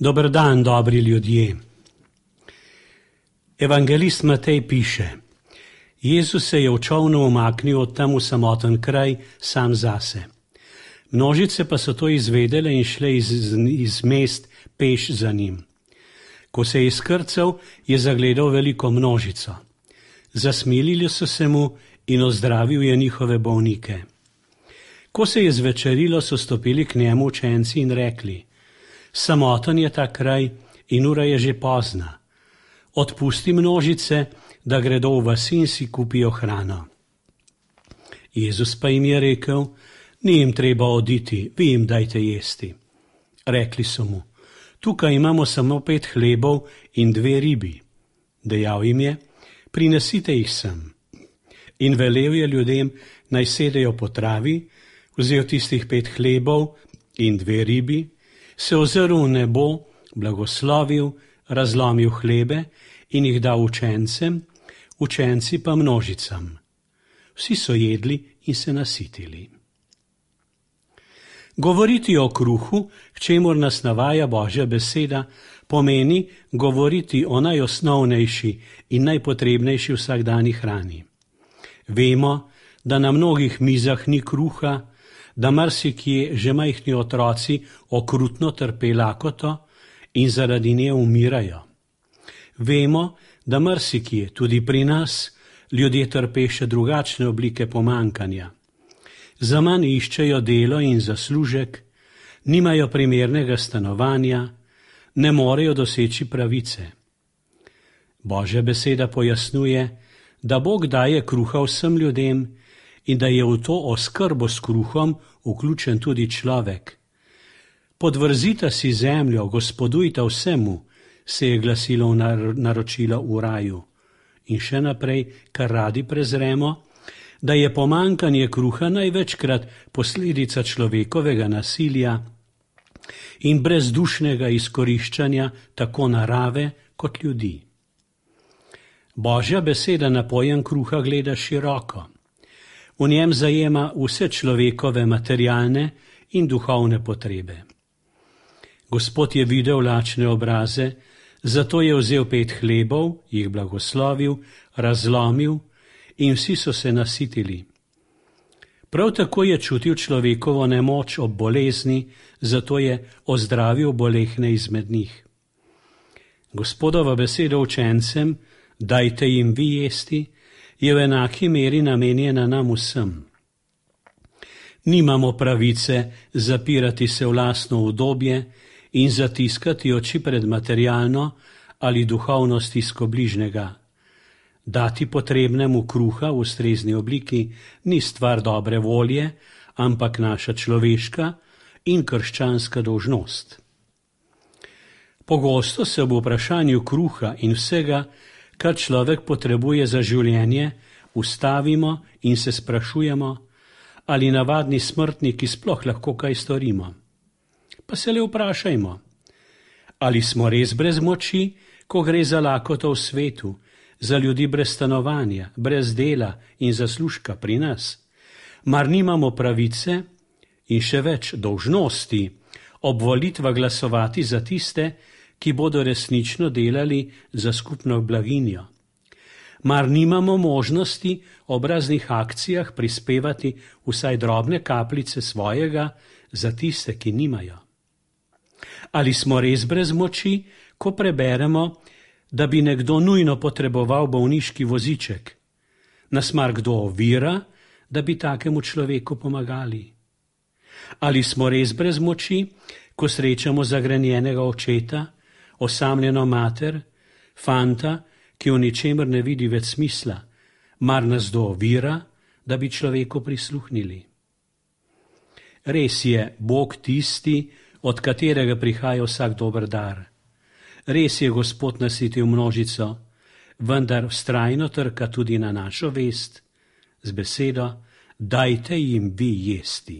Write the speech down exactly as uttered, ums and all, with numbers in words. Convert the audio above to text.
Dober dan, dobri ljudje. Evangelist Matej piše: Jezus se je v čolnu umaknil od tam v samoten kraj sam zase. Množice pa so to izvedele in šle iz, iz mest peš za njim. Ko se je izkrcal, je zagledal veliko množico. Zasmilili so se mu in ozdravil je njihove bolnike. Ko se je zvečerilo, so stopili k njemu učenci in rekli: Samoten je ta kraj in ura je že pozna. Odpusti množice, da gredo v vasi in si kupijo hrano. Jezus pa jim je rekel: Ni jim treba oditi, vi jim dajte jesti. Rekli so mu: Tukaj imamo samo pet hlebov in dve ribi. Dejal jim je: Prinesite jih sem. In velel je ljudem, naj sedejo po travi, vzel tistih pet hlebov in dve ribi, se ozrl v nebo, blagoslovil, razlomil hlebe in jih dal učencem, učenci pa množicam. Vsi so jedli in se nasitili. Govoriti o kruhu, k čemur nas navaja Božja beseda, pomeni govoriti o najosnovnejši in najpotrebnejši vsakdanji hrani. Vemo, da na mnogih mizah ni kruha, da marsikje že majhni otroci okrutno trpe lakoto in zaradi nje umirajo. Vemo, da marsikje, tudi pri nas, ljudje trpe še drugačne oblike pomankanja. Zaman iščejo delo in zaslužek, nimajo primernega stanovanja, ne morejo doseči pravice. Božja beseda pojasnjuje, da Bog daje kruha vsem ljudem in da je v to oskrbo s kruhom vključen tudi človek. Podvrzita si zemljo, gospodujta vsemu, se je glasilo v naročilo v raju. In še naprej, kar radi prezremo, da je pomankanje kruha največkrat posledica človekovega nasilja in brezdušnega izkoriščanja tako narave kot ljudi. Božja beseda na pojem kruha gleda široko. V njem zajema vse človekove materialne in duhovne potrebe. Gospod je videl lačne obraze, zato je vzel pet hlebov, jih blagoslovil, razlomil in vsi so se nasitili. Prav tako je čutil človekovo nemoč ob bolezni, zato je ozdravil bolehne izmed njih. Gospodova beseda učencem, dajte jim vi jesti, je v enaki meri namenjena nam vsem. Nimamo pravice zapirati se v lastno udobje in zatiskati oči pred materialno ali duhovno stisko bližnjega. Dati potrebnemu kruha v ustrezni obliki ni stvar dobre volje, ampak naša človeška in krščanska dolžnost. Pogosto se ob vprašanju kruha in vsega, kar človek potrebuje za življenje, ustavimo in se sprašujemo, ali navadni smrtniki sploh lahko kaj storimo. Pa se le vprašajmo, ali smo res brez moči, ko gre za lakoto v svetu, za ljudi brez stanovanja, brez dela in zaslužka pri nas. Mar nimamo pravice in še več dolžnosti ob volitvah glasovati za tiste, ki bodo resnično delali za skupno blaginjo. Mar nimamo možnosti ob raznih akcijah prispevati vsaj drobne kapljice svojega za tiste, ki nimajo? Ali smo res brez moči, ko preberemo, da bi nekdo nujno potreboval bolniški voziček? Nas mar kdo ovira, da bi takemu človeku pomagali? Ali smo res brez moči, ko srečamo zagrenjenega očeta, osamljeno mater, fanta, ki v ničemer ne vidi več smisla, mar nas kdo ovira, da bi človeku prisluhnili? Res je Bog tisti, od katerega prihaja vsak dober dar. Res je Gospod nasitil množico, vendar vztrajno trka tudi na našo vest z besedo: dajte jim vi jesti.